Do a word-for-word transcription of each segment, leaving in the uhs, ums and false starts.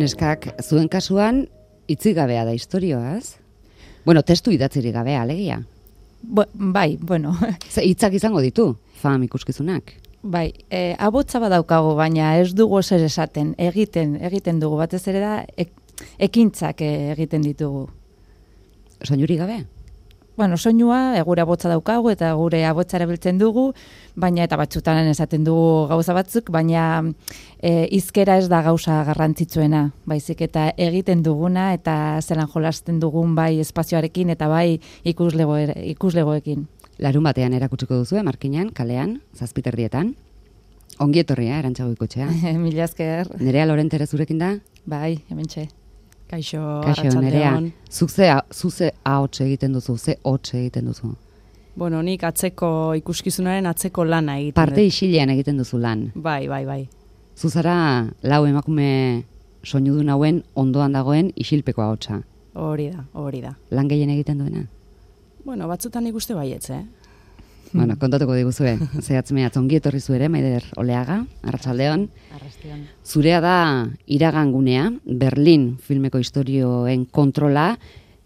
Neskak, zuen kasuan, hitzik gabea da istorioaz? Bueno, testu idatzirik gabea, alegia. Bo, bai, bueno. Ze hitzak izango ditu, fam ikuskizunak. Bai, e, abotza badaukago, baina ez dugu zer esaten, egiten, egiten dugu, batez ere da, ek, ekintzak egiten ditugu. Soinurik gabe? Bueno, soinua, e, gure abotza daukagu eta gure abotza erabiltzen dugu, baina eta batzutan esaten dugu gauza batzuk, baina e, hizkera ez da gauza garrantzitsuena, baizik eta egiten duguna eta zelan jolasten dugun bai espazioarekin eta bai ikuslego, ikuslegoekin. Larun batean erakutsiko duzu, markinan, kalean, zazpiterrietan. Ongi etorria, Arantxa Goikotxea. Mila esker. Nerea Lorentere zurekin da? Bai, hementxe. Kaixo, Kaixo Nerea. Zuze, zuze ahots egiten duzu, ze hots egiten duzu. Bueno, nik atzeko ikuskizunaren atzeko lana egiten. Parte isilean egiten duzu lan. Bai, bai, bai. Zuzara lau emakume soinudun hauen ondoan dagoen isilpeko ahotsa. Hori da, hori da. Lan gehien egiten duena? Bueno, batzutan ikuste baietz, eh? Bueno, kontatuko diguzue. Zehatz mehatz ongi etorri zu ere, Maider Oleaga, Arratsaldeon. Arratsaldeon. Zurea da iragangunea, Berlin filmeko istorioen kontrola,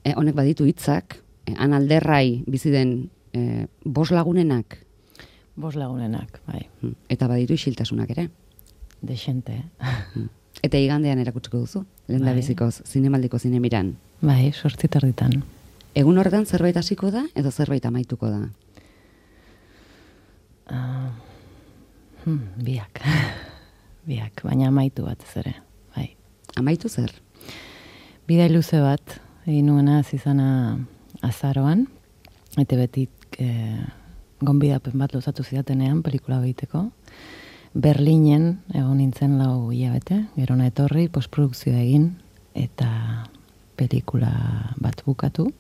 eh, honek baditu hitzak, eh, han alderrai bizi den eh, bos lagunenak. Bos lagunenak, bai. Eta baditu isiltasunak ere. Dexente. Eta igandean erakutsiko duzu, lehen da bizikoz, zinemaldiko zinemiran. Bai, sortzitarditan. Egun horretan zerbait hasiko da, edo zerbait amaituko da? Uh, hmm, biak. Biak, baina amaitu bat ez ere. Bai. Amaitu zer? Bidai luze bat, egin nuena zizana azaroan, eta betik eh, gonbidapen bat luzatu zidatenean pelikula behiteko. Berlinen egon nintzen lau hilabete, gerona etorri, postprodukzioa egin, eta pelikula bat bukatu,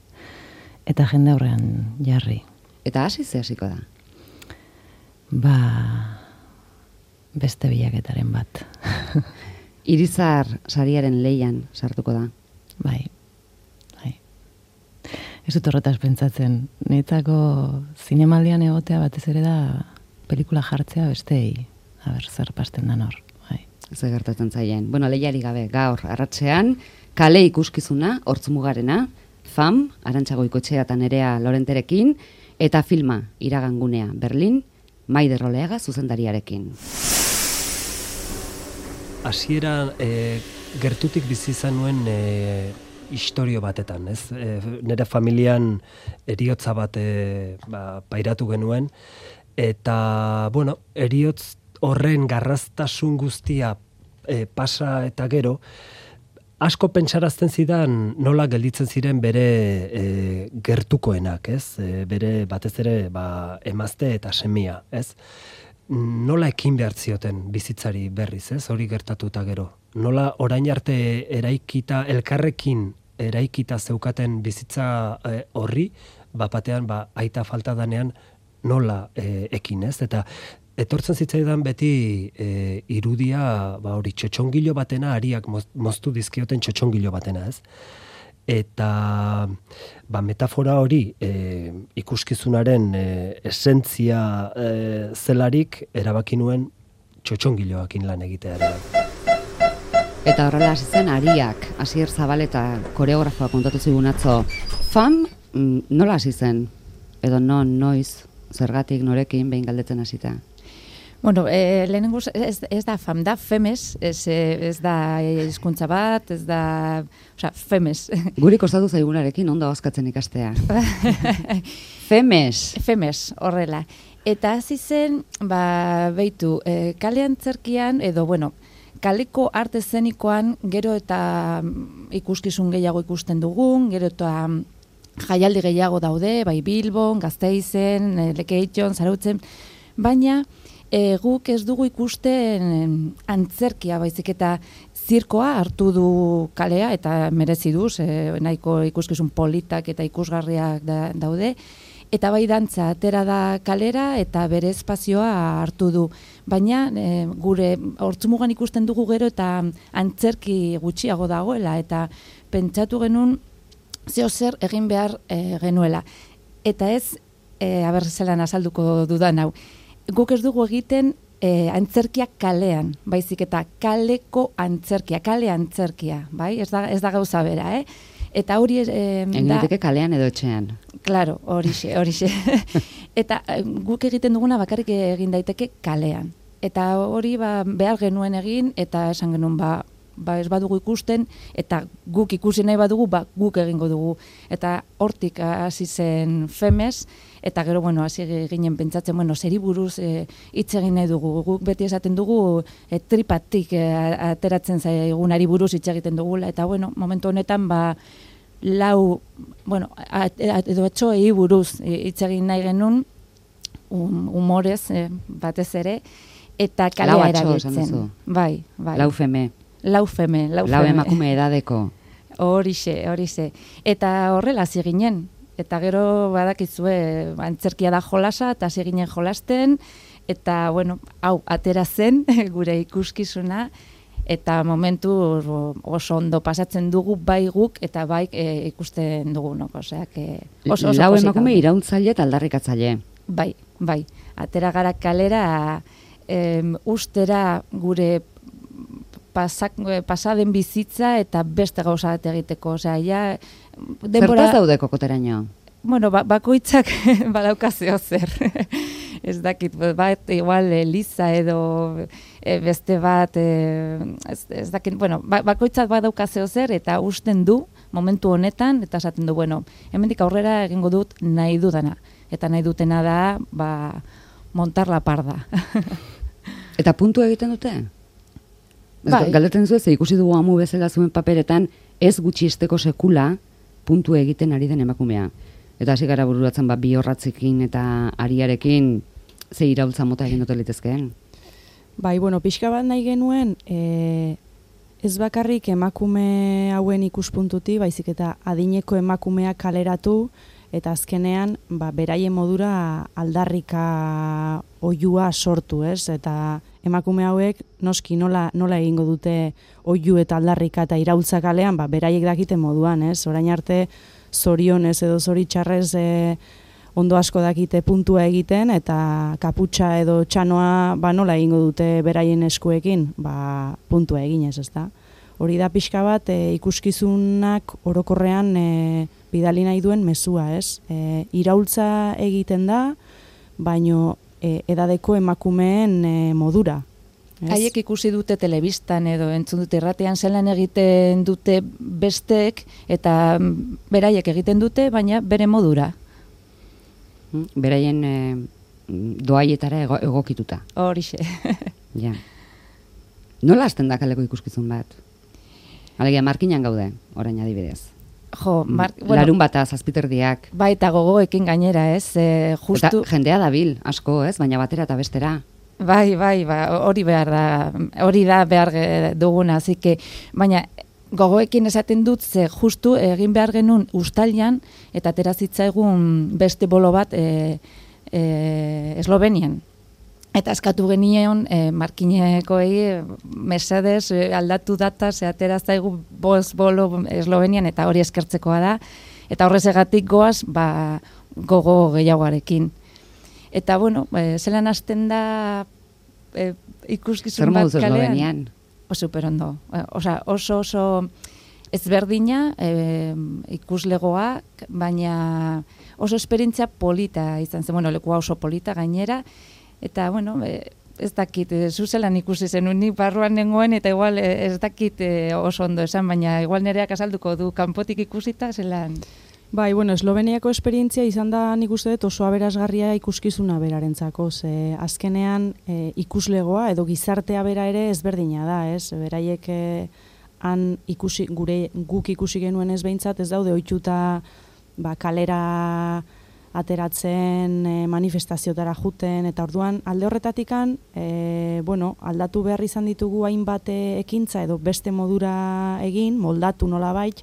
eta jende aurrean jarri. Eta hasi ze hasiko da? Ba, beste bilaketaren bat. Irizar sariaren leian sartuko da. Bai, bai. Ez dut horretaz pentsatzen. Niretzako zinemaldian egotea batez ere da pelikula jartzea bestei. Aber, zer pasten da nor. Bai. Zer gertatzen zaien. Bueno, lehiari gabe, gaur, arratsean, kale ikuskizuna, hortzmugarena, fam, Arantxa Goikotxea eta Nerea Lorenterekin, eta filma, iragangunea, Berlin, Maider Oleaga zuzendariarekin. Hasieran e, gertutik bizi izan nuen e, istorio batetan, ez? E, nire familian eriotza bat e, ba, pairatu genuen, eta, bueno, eriotz horren garraztasun guztia e, pasa eta gero, asko pentsarazten zidan nola gelditzen ziren bere e, gertukoenak, ez? E, bere batez ere ba, emazte eta semia, ez? Nola ekin behar zioten bizitzari berriz, ez? Hori gertatuta gero. Nola orain arte eraikita, elkarrekin eraikita zeukaten bizitza e, horri, bapatean ba, aita falta danean nola e, ekin, ez? Eta etortzen zitzaidan beti e, irudia, ba hori, txotxongilo batena, ariak moztu dizkioten txotxongilo batena, ez? Eta ba, metafora hori e, ikuskizunaren e, esentzia e, zelarik erabaki nuen txotxongiloakin lan egitea ere. Eta horrela hasi zen Ariak, Asier Zabaleta koreografoa kontatu zigun atzo. Fam, nola hasi zen? Edo non, noiz, zergatik, norekin, behin galdetzen hasita? Bueno, eh, lehenengo ez, ez da fam, da femes, ez, ez da hizkuntza bat, ez da, osea, femes. Guri kostatu zaigunarekin ondo hozkatzen ikastea. Femes. Femes, horrela. Eta hasi zen, ba, beitu, eh, kale antzerkian, edo, bueno, kaleko arte zenikoan gero eta ikuskizun gehiago ikusten dugun, gero eta jaialdi gehiago daude, bai Bilbon, Gasteizen, Lekeition, Zarautzen, baina E, guk ez dugu ikusten antzerkia, baizik eta zirkoa hartu du kalea, eta merezi du, e, nahiko ikuskizun politak eta ikusgarriak da, daude, eta bai dantza atera da kalera eta bere espazioa hartu du. Baina e, gure hortzumugan ikusten dugu gero eta antzerki gutxiago dagoela, eta pentsatu genuen zeo zer egin behar e, genuela. Eta ez, e, aber zelan azalduko dudan hau, guk ez dugu egiten e, antzerkia kalean, baizik eta kaleko antzerkia, kale antzerkia, bai? Ez da, ez da gauza bera, eh? Eta hori eh, Egin da... daiteke kalean edo etxean. Claro, horixe, horixe. Eta guk egiten duguna bakarrik egin daiteke kalean. Eta hori ba, behar genuen egin, eta esan genuen ba, ba ez badugu ikusten, eta guk ikusi nahi badugu, ba guk egingo dugu. Eta hortik hasi zen Femes, eta gero, bueno, hasi ginen pentsatzen, bueno, zeri buruz hitz egin nahi dugu. Guk beti esaten dugu e, tripatik e, ateratzen zaigunari buruz hitz egiten dugula, eta bueno, momentu honetan, ba, lau, bueno, edo etxoei buruz hitz egin nahi genuen, um, humorez e, batez ere, eta kalea erabiltzen. Bai, bai. Lau feme. Lau feme, lau feme. Lau emakume edadeko. Horixe, horixe. Eta horrela hasi ginen. Eta gero badakizue, antzerkia da jolasa, eta hasi ginen jolasten, eta, bueno, hau, atera zen gure ikuskizuna, eta momentu oso ondo pasatzen dugu bai guk, eta bai e, ikusten dugunok, oseak oso oso lau posik emakume gaude. iraultzaile eta aldarrikatzaile. Bai, bai. Atera gara kalera, em, ustera gure pasak, pasaden bizitza eta beste gauza bat egiteko. Osea, ja, denbora... Zertaz daude kokoteraino? Bueno, ba, bakoitzak badaukazeo zer. Ez dakit, bat, igual, Eliza edo e, beste bat, e, ez, ez dakit, bueno, ba, bakoitzak badaukazeo zer, eta usten du, momentu honetan, eta esaten du, bueno, hemendik aurrera egingo dut nahi dudana. Eta nahi dutena da, ba, montar la parda. Eta puntu egiten dute? Bai. Galdetzen zu ez, ikusi dugu amu bezala zuen paperetan, ez gutxisteko sekula puntu egiten ari den emakumea. Eta hasi gara bururatzen ba, bi horratzekin eta ariarekin ze iraultza mota egin dute litezkeen. Bai, bueno, pixka bat nahi genuen, e, ez bakarrik emakume hauen ikuspuntuti, baizik eta adineko emakumeak kaleratu, eta azkenean, ba, beraien modura aldarrika oihua sortu, ez? Eta emakume hauek noski nola, nola egingo dute oihu eta aldarrika eta iraultza kalean, ba, beraiek dakiten moduan, ez? Orain arte zorionez edo zoritxarrez e, ondo asko dakite puntua egiten, eta kaputxa edo txanoa ba, nola egingo dute beraien eskuekin, ba, puntua eginez, ez da? Hori da pixka bat e, ikuskizunak orokorrean e, bidali nahi duen mezua, ez? E, iraultza egiten da, baino e, edadeko emakumeen e, modura. Haiek ikusi dute telebistan edo entzun dute irratean zelan egiten dute besteek, eta beraiek egiten dute, baina bere modura. Beraien e, doaietara ego, egokituta. Horixe. Ja. Nola hasten da kaleko ikuskizun bat? Alegia, markinan gaude, orain adibidez. Jo, mar, bueno, larun bata, zazpiterdiak. Bai, eta gogoekin gainera, ez? E, justu... Eta jendea dabil, asko, ez? Baina batera eta bestera. Bai, bai, ba, hori behar da, hori da behar duguna, zike, baina gogoekin esaten dut, ze justu egin behar genuen ustalian, eta atera zitzaigun beste bolo bat e, e, Eslovenian. Eta eskatu genion e, markinekoei mesedez e, aldatu data, ze atera zaigu bost bolo Eslovenian, eta hori eskertzekoa da, eta horrezegatik goaz, ba, gogo gehiagoarekin. Eta, bueno, e, zelan hasten da e, ikuskizun bat kalean. Eslovenian? O, super ondo. Osa, oso oso ezberdina e, ikuslegoak, baina oso esperientzia polita izan zen. Bueno, lekua oso polita gainera. Eta, bueno, e, ez dakit, e, zuzelan ikusi zenun, nik barruan nengoen, eta igual e, ez dakit e, oso ondo esan, baina igual nereak azalduko du kanpotik ikusita, zelan... Bai, bueno, Esloveniako esperientzia izan da nik uste dut oso aberasgarria ikuskizuna berarentzako, ze azkenean e, ikuslegoa edo gizartea bera ere ezberdina da, ez? Beraiek e, han ikusi, gure guk ikusi genuen ez behintzat, ez daude ohituta ba, kalera ateratzen, e, manifestaziotara juten, eta orduan alde horretatikan, e, bueno, aldatu behar izan ditugu hainbat ekintza edo beste modura egin, moldatu nolabait.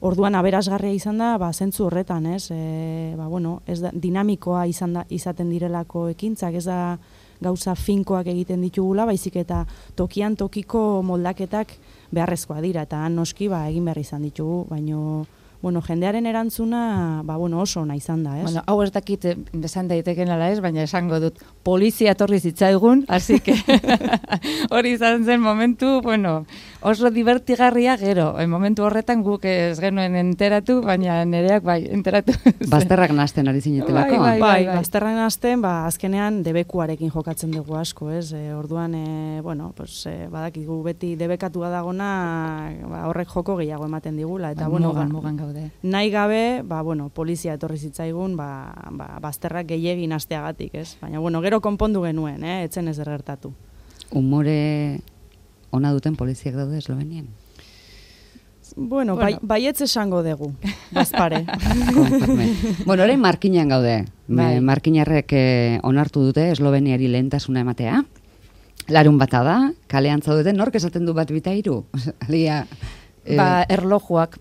Orduan aberasgarria izan da, ba, zentzu horretan, ez? E, ba, bueno, ez da, dinamikoa izan da, izaten direlako ekintzak, ez da gauza finkoak egiten ditugula, baizik eta tokian tokiko moldaketak beharrezkoa dira, eta han noski ba, egin behar izan ditugu, baino, bueno, jendearen erantzuna, ba, bueno, oso ona izan da, ez? Bueno, hau ez dakit besan daiteken ala ez, baina esango dut, polizia etorri zitzaigun, así que hori izan zen momentu, bueno, oso divertigarria gero, en momentu horretan guk ez genuen enteratu, baina nereak bai, enteratu. Bazterrak nasten ari zinetelako. Bai, bai, Bai, bazterrak nasten, ba, azkenean debekuarekin jokatzen dugu asko, ez? E, orduan, e, bueno, pues, e, badakigu beti debekatua dagona, ba, horrek joko gehiago ematen digula, eta, Bai, bueno, mugan, ba, mugan gaude. nahi gabe, ba, bueno, polizia etorri zitzaigun, ba, ba, bazterrak gehiegi nasteagatik, ez? Baina, bueno, gero konpondu genuen, eh? Etzen ez gertatu. Umore ona duten poliziak daude Eslovenian? Bueno, Bueno. bai, baietz esango dugu, bazpare. Konforme. Bueno, orain markinan gaude. Bai. Me- Markinarrek eh, onartu dute Esloveniari lehentasuna ematea. Larun bata da, kalean zaudete, nork esaten du bat bita hiru? Alia, eh, Ba, erlojuak.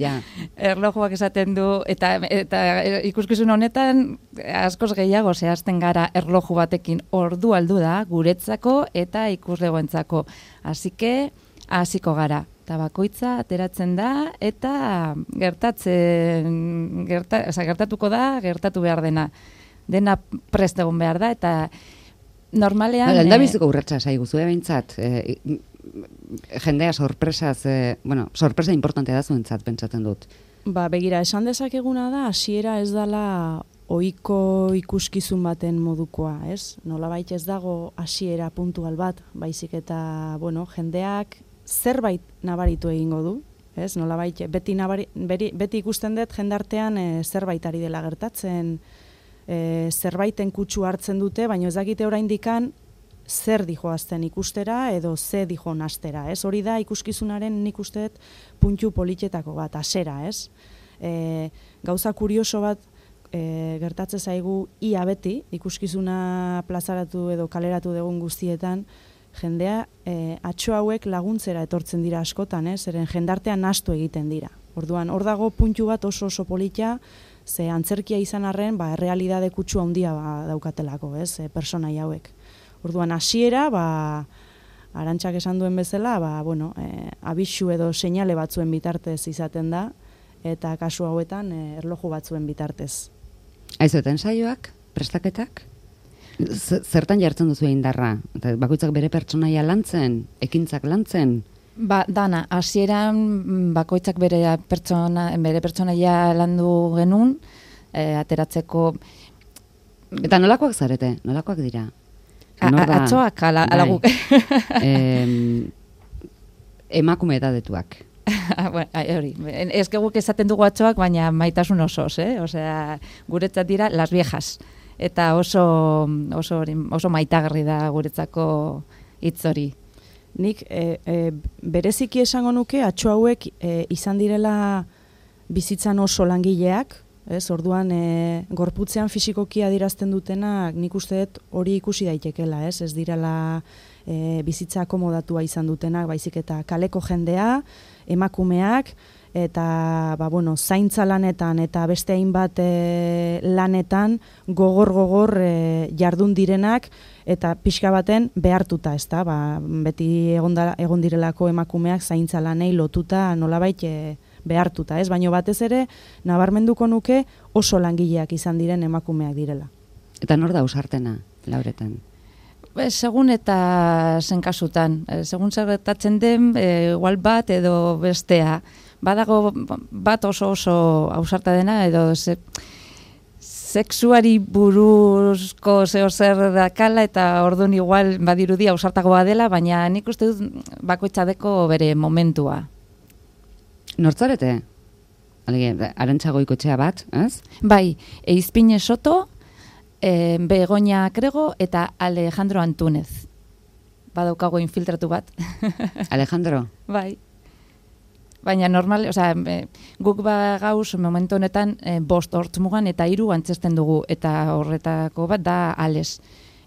ja. Erlojuak esaten du, eta, eta ikuskizun honetan askoz gehiago zehazten gara erloju batekin ordu aldu da, guretzako eta ikuslegoentzako. Así que, hasiko gara. Eta bakoitza ateratzen da, eta gertatzen, gerta, oza, gertatuko da, gertatu behar dena. Dena prest egon behar da, eta normalean... Hala, eh, aldabiziko urratsa zaigu zue behintzat. Eh, jendea sorpresaz, eh, bueno, sorpresa importante da zuentzat, pentsatzen dut. Ba, begira, esan dezakeguna da, hasiera ez dala ohiko ikuskizun baten modukoa, ez? Nolabait ez dago hasiera puntual bat, baizik eta, bueno, jendeak zerbait nabaritu egingo du, ez? Nolabait beti nabari, beri, beti ikusten dut jendartean e, zerbait ari dela gertatzen, e, zerbaiten kutsu hartzen dute, baina ez dakite oraindikan zer dijoazten ikustera edo ze dijo nastera, ez? Hori da ikuskizunaren nik uste dut puntu politxetako bat, asera, ez? E, gauza kurioso bat e, gertatze zaigu ia beti, ikuskizuna plazaratu edo kaleratu dugun guztietan, jendea e, atxo hauek laguntzera etortzen dira askotan, eh? Zeren jendartean nahastu egiten dira. Orduan, hor dago puntu bat oso oso polita, ze antzerkia izan arren, ba, errealidade kutsu handia ba, daukatelako, ez, e, personai hauek. Orduan, hasiera, ba, Arantxak esan duen bezala, ba, bueno, e, abisu edo seinale batzuen bitartez izaten da, eta kasu hauetan e, erloju batzuen bitartez. Aizu, eta ensaioak, prestaketak? Z- Zertan jartzen duzu indarra? Eta bakoitzak bere pertsonaia lantzen, ekintzak lantzen? Ba, dana, hasieran mm, bakoitzak bere pertsona, bere pertsonaia landu genuen, e, ateratzeko... Eta nolakoak zarete? Nolakoak dira? A, Nor a, da- atzoak, ala, ala Bai. guk. Em, emakume edadetuak. Bueno, ai, hori, ez que guk esaten dugu atzoak, baina maitasun osoz, eh? Osea, guretzat dira las viejas. Eta oso, oso, oso maitagarri da guretzako hitz hori. Nik e, e, bereziki esango nuke atxo hauek e, izan direla bizitzan oso langileak, ez? Orduan e, gorputzean fisikoki adierazten dutenak nik uste dut hori ikusi daitekela, ez? Ez direla e, bizitza akomodatua izan dutenak, baizik eta kaleko jendea, emakumeak, eta ba, bueno, zaintza lanetan eta beste hainbat e, lanetan gogor-gogor e, jardun direnak eta pixka baten behartuta, ezta? Ba, beti egon, da, egon direlako emakumeak zaintza lanei lotuta nolabait e, behartuta, ez? Baina batez ere nabarmenduko nuke oso langileak izan diren emakumeak direla. Eta nor da ausartena, Lauretan? E, segun eta zen kasutan, e, segun zer gertatzen den, e, igual bat edo bestea. Badago bat oso oso ausarta dena edo ze, sexuari buruzko zeo zer dakala eta orduan igual badirudi ausartagoa dela, baina nik uste dut bakoitzadeko bere momentua. Nortzarete? Alege, Arantxa Goikoetxea bat, ez? Bai, Eizpine Soto, e, Begoña Krego eta Alejandro Antúnez. Badaukago infiltratu bat. Alejandro? Bai. Baina normal, osea, e, guk ba gauz momentu honetan e, bost hortzmugan eta hiru antzesten dugu eta horretako bat da Ales.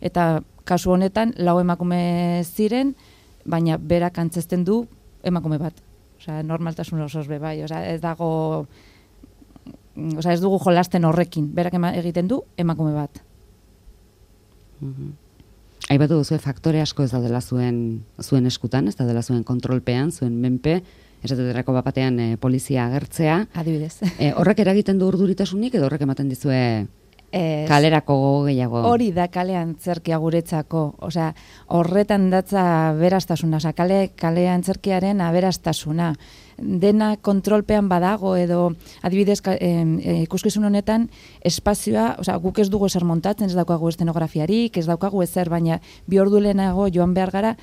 Eta kasu honetan lau emakume ziren, baina berak antzesten du emakume bat. Osea, normaltasun osoz be bai, osea, ez dago osea, ez dugu jolasten horrekin. Berak ema, egiten du emakume bat. Mhm. Aipatu duzu faktore asko ez daudela zuen zuen eskutan, ez daudela zuen kontrolpean, zuen menpe, esateterako bapatean e, polizia agertzea. Adibidez. E, horrek eragiten du urduritasunik edo horrek ematen dizue Ez, kalerako gogo gehiago? Hori da kalean zerkia guretzako, osea, horretan datza aberastasuna, osea, kale, kalean zerkiaren aberastasuna. Dena kontrolpean badago edo adibidez e, ikuskizun honetan espazioa, osea, guk ez dugu ezer montatzen, ez daukagu eszenografiarik, ez daukagu ezer, baina bi ordu lehenago joan behar gara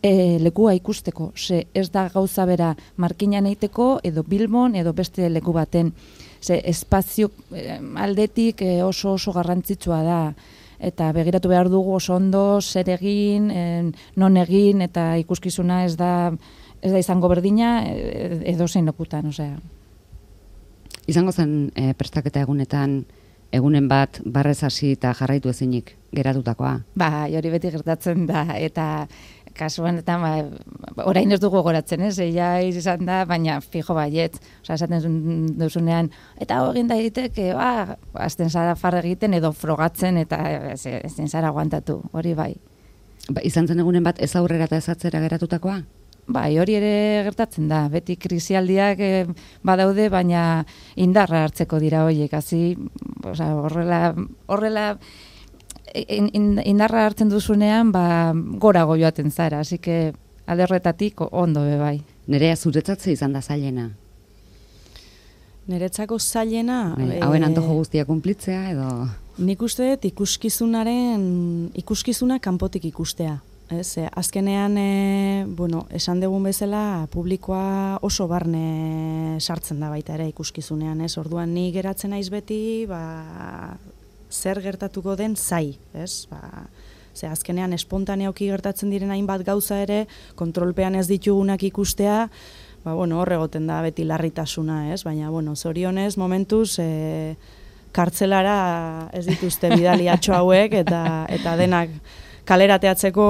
e, lekua ikusteko. Ze ez da gauza bera Markinan eiteko edo Bilbon edo beste leku baten. Ze espazio eh, aldetik eh, oso oso garrantzitsua da eta begiratu behar dugu oso ondo zer egin, eh, non egin eta ikuskizuna ez da ez da izango berdina eh, edo zein lokutan, osea. Izango zen eh, prestaketa egunetan egunen bat barrez hasi eta jarraitu ezinik geratutakoa. Ba, hori beti gertatzen da eta kasuan eta ba, orain ez dugu goratzen, ez? Ja izan da, baina fijo baietz. Osea, esaten duzunean, eta egin da egiteke, ba, azten zara farra egiten edo frogatzen eta ezin zara aguantatu, hori bai. Ba, izan zen egunen bat ez aurrera eta ez atzera geratutakoa? Bai, hori ere gertatzen da. Beti krisialdiak eh, badaude, baina indarra hartzeko dira horiek. Hasi, osea, horrela horrela In, in, indarra hartzen duzunean, ba, gorago joaten zara, así que alde horretatik ondo be bai. Nerea zuretzatze izan da zailena? Neretzako zailena... Bai, hauen antojo guztia kunplitzea edo... Nik uste dut ikuskizunaren, ikuskizuna kanpotik ikustea. Ez, e, azkenean, e, bueno, esan dugun bezala, publikoa oso barne sartzen da baita ere ikuskizunean, ez? Orduan ni geratzen naiz beti, ba... zer gertatuko den zai, ez? Ba, ze azkenean espontaneoki gertatzen diren hainbat gauza ere, kontrolpean ez ditugunak ikustea, ba, bueno, hor egoten da beti larritasuna, ez? Baina, bueno, zorionez, momentuz, e, kartzelara ez dituzte bidaliatxo hauek, eta eta denak kalerateatzeko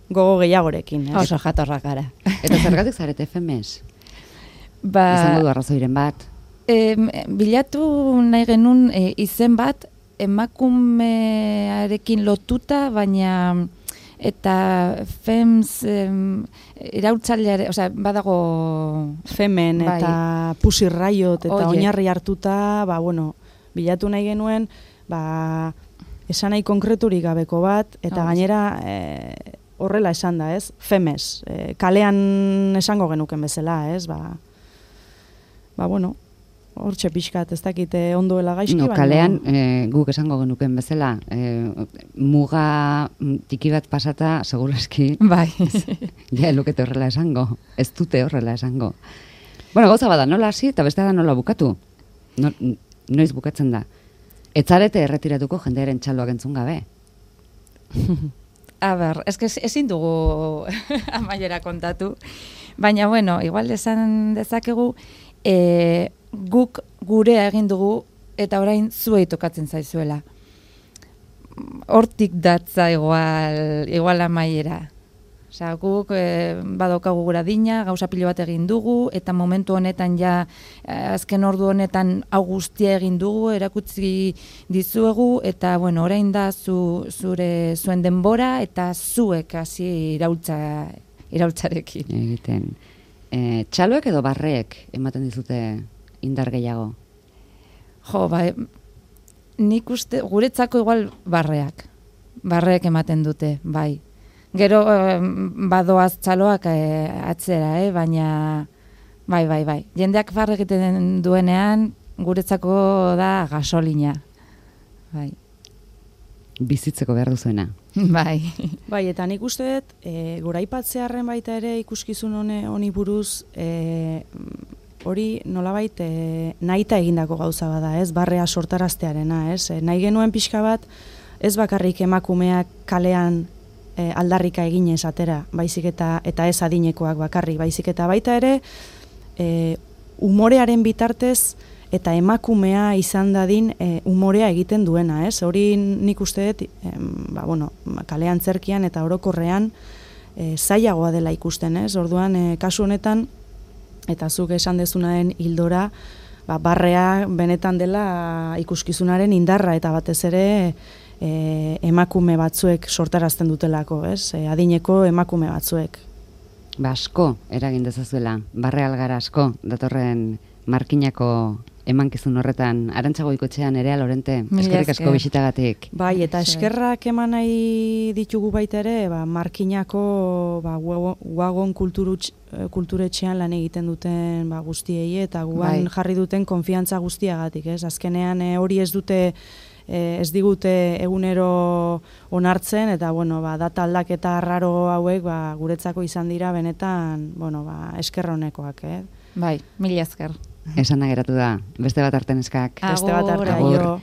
gogo gehiagorekin, ez? Oso jatorrak gara. Eta zergatik zarete F M S? Ba, izango du arrazoiren bat? E, bilatu nahi genuen e, izen bat emakumearekin lotuta, baina eta fems em, iraultzaileare, osea, badago femen bai. Eta Pussy Riot eta Oie. oinarri hartuta, ba, bueno, bilatu nahi genuen, ba, esan nahi konkreturik gabeko bat, eta oh, gainera e, horrela esan da, ez? Femes, e, kalean esango genuken bezala, ez? Ba, ba bueno, hortxe pixkat, ez dakite ondoela gaizki, no, baina... kalean, e, guk esango genuken bezala, e, muga tiki bat pasata, segurazki, bai. ja, elukete horrela esango, ez dute horrela esango. Bueno, gauza bada, nola hasi eta beste da nola bukatu. No, noiz bukatzen da. Etzarete erretiratuko jendearen txaloak entzun gabe. A ber, eske ezin dugu amaiera kontatu, baina bueno, igual esan dezakegu, e, guk gurea egin dugu eta orain zuei tokatzen zaizuela. Hortik datza igual, igual amaiera. Osea, guk e, badaukagu gura dina, gauza pilo bat egin dugu, eta momentu honetan ja, azken ordu honetan hau guztia egin dugu, erakutsi dizuegu, eta bueno, orain da zu, zure zuen denbora, eta zuek hasi iraultza, iraultzarekin. Egiten. E, txaloek edo barreek ematen dizute indar gehiago? Jo, ba, nik uste, guretzako igual barreak. Barreek ematen dute, bai. Gero eh, badoaz txaloak eh, atzera, eh, baina bai, bai, bai. Jendeak barre egiten duenean, guretzako da gasolina. Bai. Bizitzeko behar duzuena. Bai. Bai, eta nik uste dut, e, goraipatzearren baita ere ikuskizun hone, honi buruz, e, hori nolabait e, nahita egindako gauza bada, ez? Barrea sortaraztearena, ez? E, nahi genuen pixka bat, ez bakarrik emakumeak kalean e, aldarrika eginez atera, baizik eta eta ez adinekoak bakarrik, baizik eta baita ere, e, umorearen bitartez, eta emakumea izan dadin e, umorea egiten duena, ez? Hori nik uste dut, e, ba, bueno, kalean zerkian eta orokorrean e, zailagoa dela ikusten, ez? Orduan, e, kasu honetan, eta zuk esan dezunaren hildora, ba, barrea benetan dela ikuskizunaren indarra, eta batez ere e, emakume batzuek sortarazten dutelako, ez? E, adineko emakume batzuek. ba asko eragin dezazuela, barre algara asko, datorren markinako emankizun horretan, Arantxa Goikotxea, Nerea Lorente, eskerrik asko bisitagatik. Bai, eta eskerrak eman nahi ditugu baita ere, ba, markinako ba, Wagon kulturetxean lan egiten duten ba, guztiei, eta guan bai. Jarri duten konfiantza guztiagatik, ez? Azkenean e, hori ez dute, e, ez digute egunero onartzen, eta bueno, ba, data aldaketa raro hauek ba, guretzako izan dira benetan, bueno, ba, esker honekoak, eh? Bai, mila esker. Esana geratu da, beste bat arte neskak. Beste bat arte, aio.